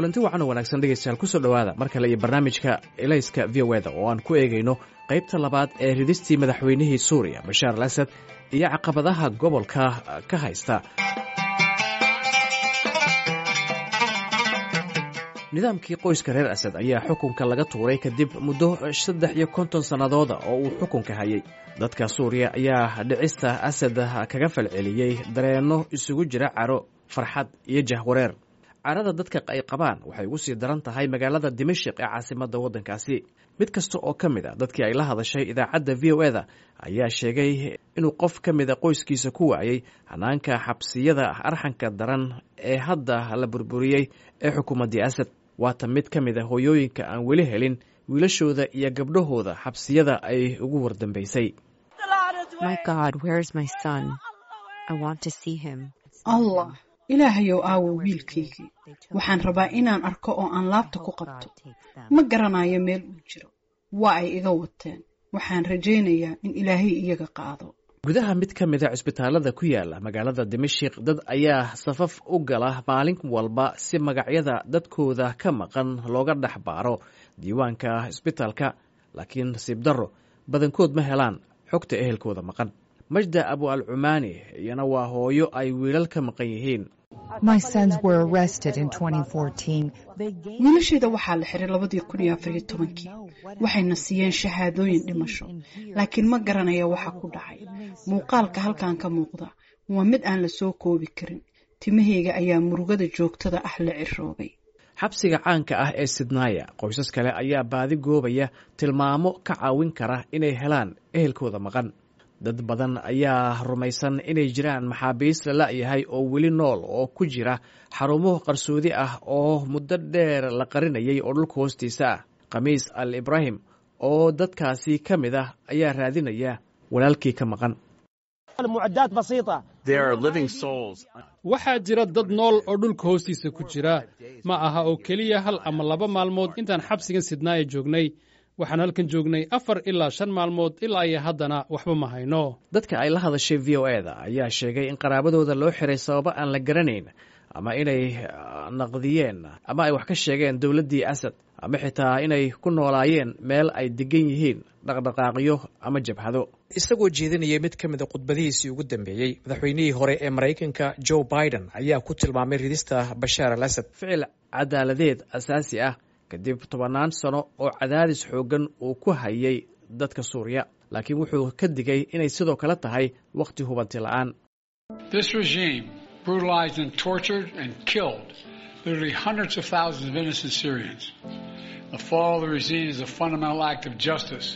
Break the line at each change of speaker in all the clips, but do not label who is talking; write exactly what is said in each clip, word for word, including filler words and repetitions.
Kulanti wacan oo wanaagsan, dhegeystayaal, kusoo dhowaada mar kale iyo barnaamijka Elayska V O A da oo aan ku eegayno qaybta labaad ee ridistii madaxweynihii Suuriya Bashaar al Asad iyo caqabadaha gobolka ka haysta. Nidaamkii qoyska reer Asad ayaa xukunka laga tuuray kadib muddo saddex iyo konton sannadooda oo uu xukunka hayay. Dadka Suuriya ayaa dhicista Asad kaga falceliyey dareenno isugu jira caro, farxad iyo jahwareer. Carada dadka ay qabaan waxay ugu sii daran tahay magaalada Dimashik ee caasimadda waddankaasi. Mid kasta oo ka mid a dadkii ay la hadashay idaacadda V O A da ayaa sheegay inuu qof ka mida qoyskiisa ku waayey hanaanka xabsiyada arxanka daran ee hadda la burburiyey ee xukuumaddii Asad. Waata mid ka mid a hooyooyinka aan weli helin wiilashooda iyo gabdhahooda xabsiyada ay ugu wardambeysay.
Allah Ilaahayow, aawo wiilkaygii? Waxaan rabaa inaan arko oo aan laabta ku qabto. Ma garanayo meel uu jiro. Waa ay iga wateen. Waxaan rajaynayaa in Ilaahay iyaga qaado.
Gudaha mid ka mid a cisbitaalada ku yaala magaalada Dimashik, dad ayaa safaf u gala maalin walba si magacyada dadkooda ka maqan looga dhex baaro diiwaanka cisbitaalka, laakiin nasiib darro badankood ma helaan xogta ehelkooda maqan. Majda Abu al Cumaani iyana waa hooyo ay wiilal ka maqan yihiin.
Wiilashayda waxaa la xiray labadii kun iyo afariyo tobankii. Waxayna siiyeen shahaadooyin dhimasho, laakiin ma garanaya waxa ku dhacay. Muuqaalka halkan ka muuqda waa mid aan la soo koobi karin. Timahayga ayaa murugada joogtada ah la ciroobay.
Xabsiga caanka ah ee Sidnaaya, qoysas kale ayaa baadi goobaya tilmaamo ka caawin kara inay helaan ehelkooda maqan. Dad badan ayaa rumaysan inay jiraan maxaabiis la la'yahay oo weli nool oo ku jira xarumo qarsoodi ah oo muddo dheer la qarinayay oo dhulka hoostiisa ah. Khamiis Al Ibraahim oo dadkaasi ka mid ah ayaa raadinaya walaalkii ka maqan.
Waxaa jira dad nool oo dhulka hoostiisa ku jira. Ma aha oo keliya hal ama laba maalmood intaan xabsigan Sidnaaya joognay. Waxaan halkan joognay afar ilaa shan maalmood, ilaa iyo haddana waxba ma hayno.
Dadka ay la hadashay V O A da ayaa sheegay in qaraabadooda loo xiray sababo aan la garanayn, ama inay naqdiyeen ama ay wax ka sheegeen dowladdii Asad, ama xitaa inay ku noolaayeen meel ay degan yihiin dhaqdhaqaaqyo ama jabhado. Isagoo jeedinayay mid ka mid a khudbadihiisii ugu dambeeyey, madaxweynihii hore ee Maraykanka Joe Biden ayaa ku tilmaamay ridista Bashaar al Asad ficil cadaaladeed asaasi ah kadib tobannaan sano oo cadaadis xooggan uu ku hayay dadka Suuriya, laakiin wuxuu ka digay inay sidoo kale tahay wakhti hubanti la'aan.
Brutalized and tortured and killed literally hundreds of thousands of innocent Syrians. The fall of the regime is a fundamental act of justice.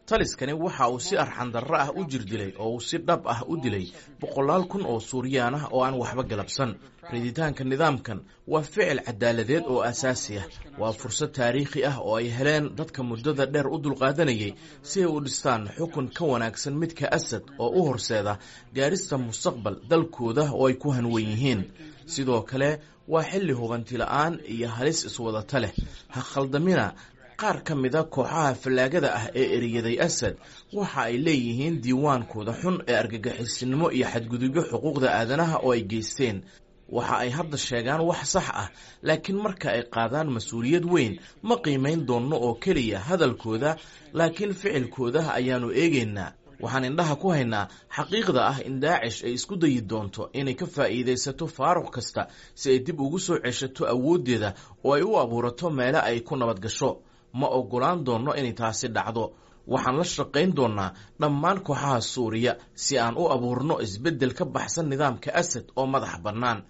Taliskani waxa uu si arxandarro ah u jirdilay oo uu si dhab ah u dilay boqolaal kun oo Suuriyaan ah oo aan waxba galabsan. Riditaanka nidaamkan waa ficil cadaaladeed oo asaasi ah. Waa fursad taariikhi ah oo ay heleen dadka muddada dheer u dulqaadanayay si ay u dhistaan xukun ka wanaagsan midka Asad oo u horseeda gaarista mustaqbal dalkooda oo ay ku hanwen yihiin. Sidoo kale waa xilli hubanti la'aan iyo halis iswadata leh. Ha khaldamina, qaar ka mida kooxaha fallaagada ah ee eriyaday Asad waxa ay leeyihiin diiwaankooda xun ee argagixisinimo iyo xadgudubyo xuquuqda aadanaha oo ay geysteen. Waxa ay hadda sheegaan wax sax ah, laakiin marka ay qaadaan mas-uuliyad weyn, ma qiimayn doonno oo keliya hadalkooda, laakiin ficilkooda ayaannu eegaynaa. Waxaan indhaha ku haynaa xaqiiqda ah in Daacish ay isku dayi doonto inay ka faa'iidaysato faaruq kasta si ay dib ugu soo ceshato awooddeeda oo ay u abuurato meelo ay ku nabad gasho. Ma oggolaan doonno inay taasi dhacdo. Waxaan la shaqayn doonnaa dhammaan kooxaha Suuriya si aan u abuurno isbeddel ka baxsan nidaamka Asad oo madax bannaan.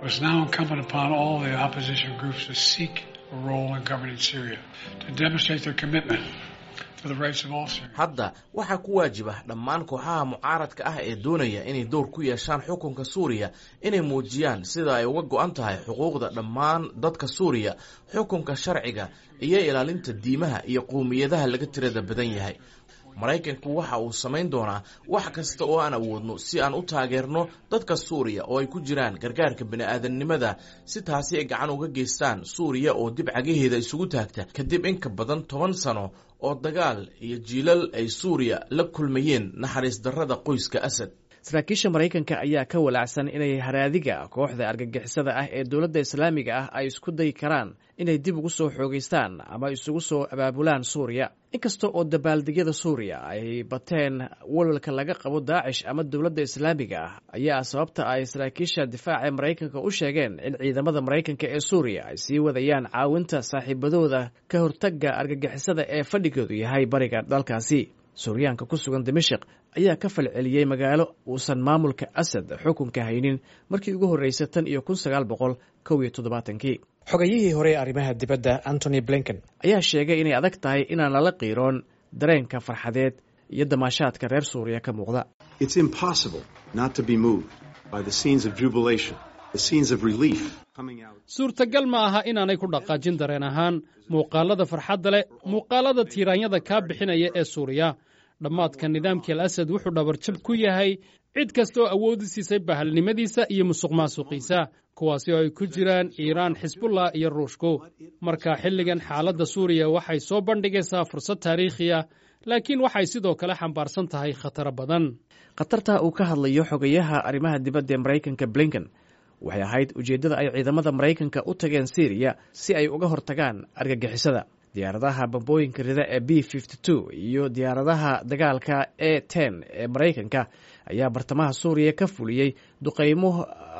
It's now incumbent upon all the opposition groups to seek a role in governing Syria, to demonstrate their commitment to the rights of all Syrians.
Hadda waxaa ku waajib ah dhammaan kooxaha mucaaradka ah ee doonaya inay door ku yeeshaan xukunka Suuriya inay muujiyaan sida ay uga go'an tahay xuquuqda dhammaan dadka Suuriya, xukunka sharciga iyo ilaalinta diimaha iyo qowmiyadaha laga tirada badan yahay. Maraykanku waxa uu samayn doonaa wax kasta oo aan awoodno si aan u taageerno dadka Suuriya, oo ay ku jiraan gargaarka bini'aadamnimada, si taasi ay gacan uga geystaan Suuriya oo dib cagaheeda isugu taagta kadib in ka badan toban sano oo dagaal iyo jiilal ay Suuriya la kulmayeen naxariis darrada qoyska Asad.
Saraakiisha Maraykanka ayaa ka walaacsan inay haraadiga kooxda argagixisada ah ee Dowladda Islaamiga ah ay isku dayi karaan inay dib ugu soo xoogeystaan ama isugu soo abaabulaan Suuriya. Inkasta oo dabaaldegyada Suuriya ay bateen, walwalka laga qabo Daacish ama Dowladda Islaamiga ah ayaa sababta ay saraakiisha difaaca ee Maraykanka u sheegeen in ciidamada Maraykanka ee Suuriya ay sii wadayaan caawinta saaxiibadooda ka hortagga argagixisada ee fadhigoodu yahay bariga dalkaasi. Suuryaanka ku sugan Dimashik ayaa ka falceliyey magaalo uusan maamulka Asad xukunka haynin markii ugu horreysay tan iyo kun sagaal boqol kow iyo toddobaatankii. Xogayihii hore ee arrimaha dibadda Antony Blinken ayaa sheegay inay adag tahay inaan lala qiiroon dareenka farxadeed iyo damaashaadka reer Suuriya ka muuqda.
It's impossible not to be moved by the scenes of jubilation, the scenes of relief coming out.
Suurtagal ma aha inaanay ku dhaqaajin dareen ahaan muuqaalada farxadda leh, muuqaalada tiiraanyada kaa bixinaya ee Suuriya. Dhammaadka nidaamkii Al Asad wuxuu dhabarjab ku yahay cid kasta oo awoodi siisay bahalnimadiisa iyo musuqmaasuqiisa, kuwaasi oo ay ku jiraan Iiraan, Xisbullah iyo Ruushku. Marka xilligan xaaladda Suuriya waxay soo bandhigaysaa fursad taariikhi ah, laakiin waxay sidoo kale xambaarsan tahay khataro badan.
Khatarta uu ka hadlayo xogayaha arrimaha dibadda ee Maraykanka Blinken waxay ahayd ujeeddada ay ciidamada Maraykanka u tageen Syriya, si ay uga hortagaan argagixisada. Diyaaradaha bambooyinka rida ee B iyo diyaaradaha dagaalka A ten ee Maraykanka ayaa bartamaha Suuriya ka fuliyey duqeymo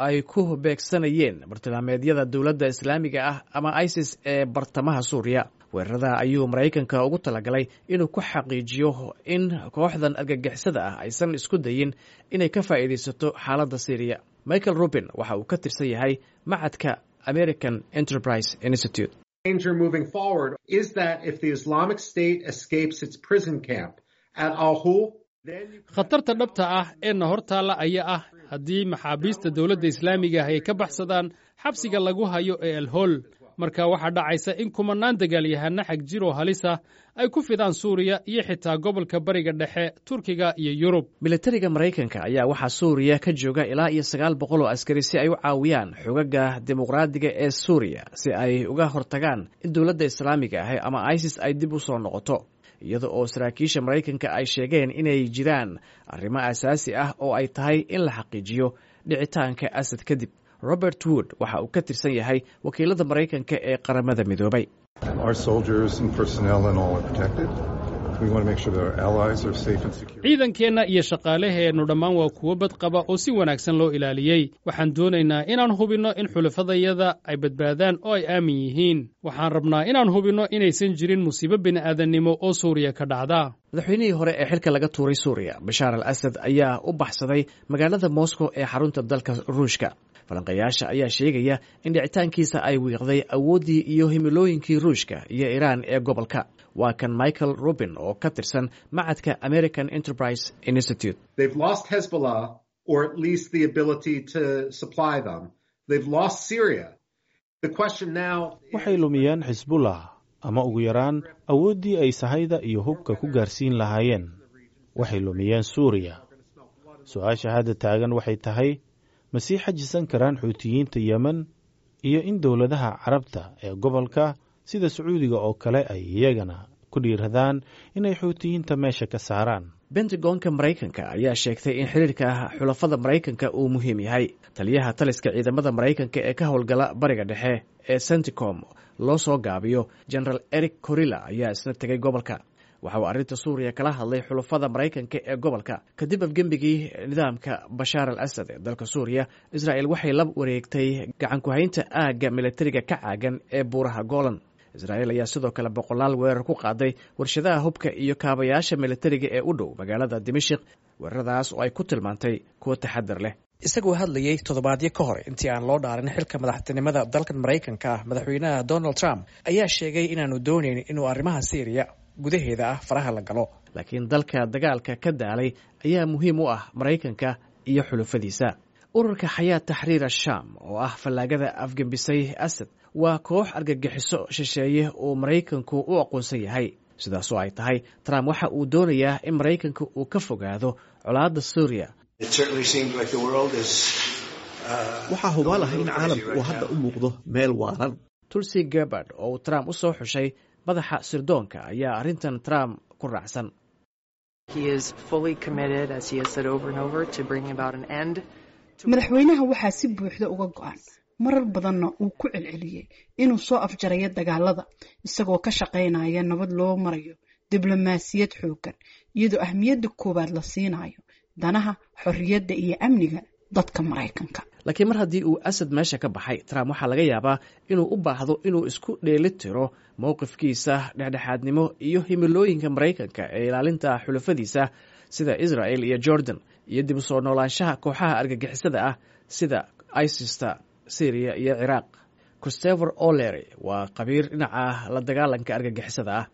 ay ku beegsanayeen bartilmaameedyada Dowladda Islaamiga ah ama ISIS ee bartamaha Suuriya. Weerarada ayuu Maraykanka ugu talagalay inuu ku xaqiijiyo in kooxdan argagixisada ah aysan isku dayin inay ka faa'iidaysato xaaladda Syriya. Michael Rubin waxa uu ka tirsan yahay macadka American Enterprise Institute.
Danger moving forward is that if the Islamic State escapes its prison camp at Al-Hol,
Khatarta dhabta ah ee na hor taalla ayaa ah haddii maxaabiista Dowladda Islaamiga ah ay ka baxsadaan xabsiga lagu hayo ee Alhol, marka waxaa dhacaysa in kumannaan dagaalyahana xag jir oo halis ah ay ku fidaan Suuriya iyo xitaa gobolka Bariga Dhexe, Turkiga iyo Yurub.
Militariga Maraykanka ayaa waxaa Suuriya ka jooga ilaa iyo sagaal boqol oo askari si ay u caawiyaan xogaga dimuqraadiga ee Suuriya, si ay uga hortagaan in Dowladda Islaamiga ah ama ISIS ay dib u soo noqoto, iyada oo saraakiisha Maraykanka ay sheegeen inay jiraan arrimo asaasi ah oo ay tahay in la xaqiijiyo dhicitaanka Asad kadib. Robert Wood waxa uu ka tirsan yahay wakiilada Maraykanka ee Qaramada Midoobay.
Our soldiers and personnel and all are protected. We want to make sure that our allies are safe and secure.
Ciidankeenna iyo shaqaalaheennu dhammaan waa kuwo badqaba oo si wanaagsan loo ilaaliyey. Waxaan doonaynaa inaan hubinno in xulafadayada ay badbaadaan oo ay aamin yihiin. Waxaan rabnaa inaan hubinno inaysan jirin musiibo bini'aadannimo oo Suuriya ka dhacda.
Madaxweynihii hore ee xilka laga tuuray Suuriya, Bashaar al Asad, ayaa u baxsaday magaalada Moscow ee xarunta dalka Ruushka. Falanqayaasha ayaa sheegaya in dhicitaankiisa ay wiiqday awooddii iyo himilooyinkii Ruushka iyo Iiraan ee gobolka. Waa kan Michael Rubin oo ka tirsan macadka American Enterprise Institute.
They've lost Hezbollah, or at least the ability to supply them. They've lost Syria. The question now
Waxay lumiyeen Xisbullah, ama ugu yaraan awooddii ay sahayda iyo hubka ku gaarsiin lahaayeen. Waxay lumiyeen Suuriya. Su-aasha hadda taagan waxay tahay, ma sii xajisan karaan Xuutiyiinta Yemen, iyo in dowladaha Carabta ee gobolka sida Sacuudiga oo kale ay iyagana ku dhiiradaan inay Xuutiyiinta meesha ka saaraan?
Pentagonka Maraykanka ayaa sheegtay in xiriirka xulafada Maraykanka uu muhiim yahay. Taliyaha taliska ciidamada Maraykanka ee ka howlgala Bariga Dhexe ee CENTCOM loo soo gaabiyo, General Erik Kurilla, ayaa isna tegay gobolka. Waxa uu arrinta Suuriya kala hadlay xulafada Maraykanka ee gobolka. Kadib afgembigii nidaamka Bashaar al Asad ee dalka Suuriya, Israa'el waxay la wareegtay gacan ku-haynta aagga militariga ka caagan ee Buuraha Golan. Israa'iil ayaa sidoo kale boqolaal weerar ku qaaday warshadaha hubka iyo kaabayaasha militariga ee u dhow magaalada Dimashik, weeraradaas oo ay ku tilmaantay kuwo taxadar leh. Isagoo hadlayey toddobaadyo ka hor intii aan loo dhaarin xilka madaxtinimada dalkan Maraykanka ah, madaxweynaha Donald Trump ayaa sheegay inaanu doonayn inuu arrimaha Syriya gudaheeda ah faraha la galo, laakiin dalka dagaalka ka daalay ayaa muhiim u ah Maraykanka iyo xulufadiisa. Ururka Xayaat Taxriir Ashaam oo ah fallaagada afgembisay Asad waa koox argagixiso shisheeye oo Maraykanku u aqoonsan yahay. Sidaasoo ay tahay, Trump waxa uu doonayaa in Maraykanka uu ka fogaado colaadda Suuriya.
Waxaa hubaal ah in caalamku uu hadda u muuqdo meel waalan.
Tulsi Gabbard oo uu Trump u soo xushay madaxa sirdoonka ayaa arrintan Trump ku raacsan.
Madaxweynaha waxaa si buuxda uga go-an, marar badanna uu ku celceliyey, inuu soo afjarayo dagaalada isagoo ka shaqaynaya nabad loo marayo diblomaasiyad xooggan, iyadoo ahmiyadda koowaad la siinayo danaha xorriyadda iyo amniga dadka Maraykanka.
Laakiin mar haddii uu Asad meesha ka baxay, Trump waxaa laga yaabaa inuu u baahdo inuu isku dheeli tiro mowqifkiisa dhexdhexaadnimo iyo himilooyinka Maraykanka ee ilaalinta xulafadiisa sida Israel iyo Jordan iyo dib u soo noolaanshaha kooxaha argagixisada ah sida ISIS-ta Syriya iyo Ciraaq. Christopher O'Leary waa khabiir dhinaca la dagaalanka argagixisada ah.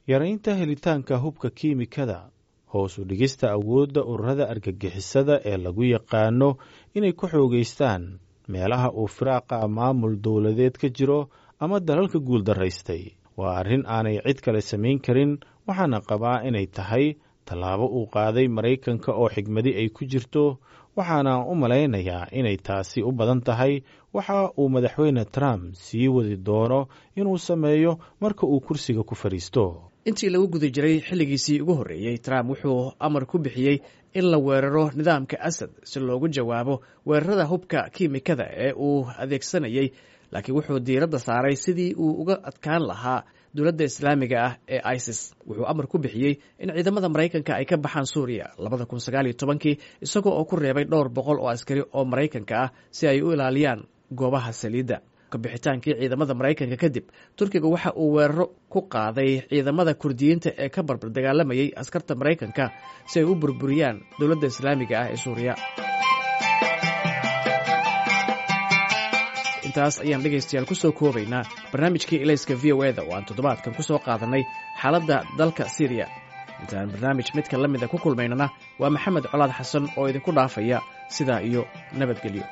Yaraynta helitaanka hubka kiimikada, hoos u dhigista awoodda ururada argagixisada ee lagu yaqaano inay ku xoogaystaan meelaha uu firaaqa maamul dowladeed ka jiro ama dalalka guuldaraystay, waa arrin aanay cid kale samayn karin. Waxaana qabaa inay tahay tallaabo uu qaaday Maraykanka oo xigmadi ay ku jirto, waxaana u malaynayaa inay taasi u badan tahay waxa uu Madaxweyne Trump sii wadi doono inuu sameeyo marka uu kursiga ku fadhiisto.
Intii lagu guda jiray xilligiisii ugu horreeyey, Trump wuxuu amar ku bixiyey in la weeraro nidaamka Asad si loogu jawaabo weerarada hubka kiimikada ee uu adeegsanayay, laakiin wuxuu diiradda saaray sidii uu uga adkaan lahaa dowladda Islaamiga ah ee ISIS. Wuxuu amar ku bixiyey in ciidamada Maraykanka ay ka baxaan Suuriya labada kun sagaal iyo tobankii, isagoo oo ku reebay dhowr boqol oo askari oo Maraykanka ah si ay u ilaaliyaan goobaha saliidda. Kabixitaankii ciidamada Maraykanka kadib, Turkiga waxa uu weeraro ku qaaday ciidamada Kurdiyiinta ee ka barbar dagaalamayay askarta Maraykanka si ay u burburiyaan dowladda Islaamiga ah ee Suuriya. Intaas ayaan dhegaystayaal ku soo koobaynaa barnaamijkii Ilayska V O E-da oo aan toddobaadkan ku soo qaadanay xaaladda dalka Syriya. Intaan barnaamij midka la mida ku kulmaynana, waa Maxamed Colaad Xasan oo idinku dhaafaya sidaa iyo nabadgelyo.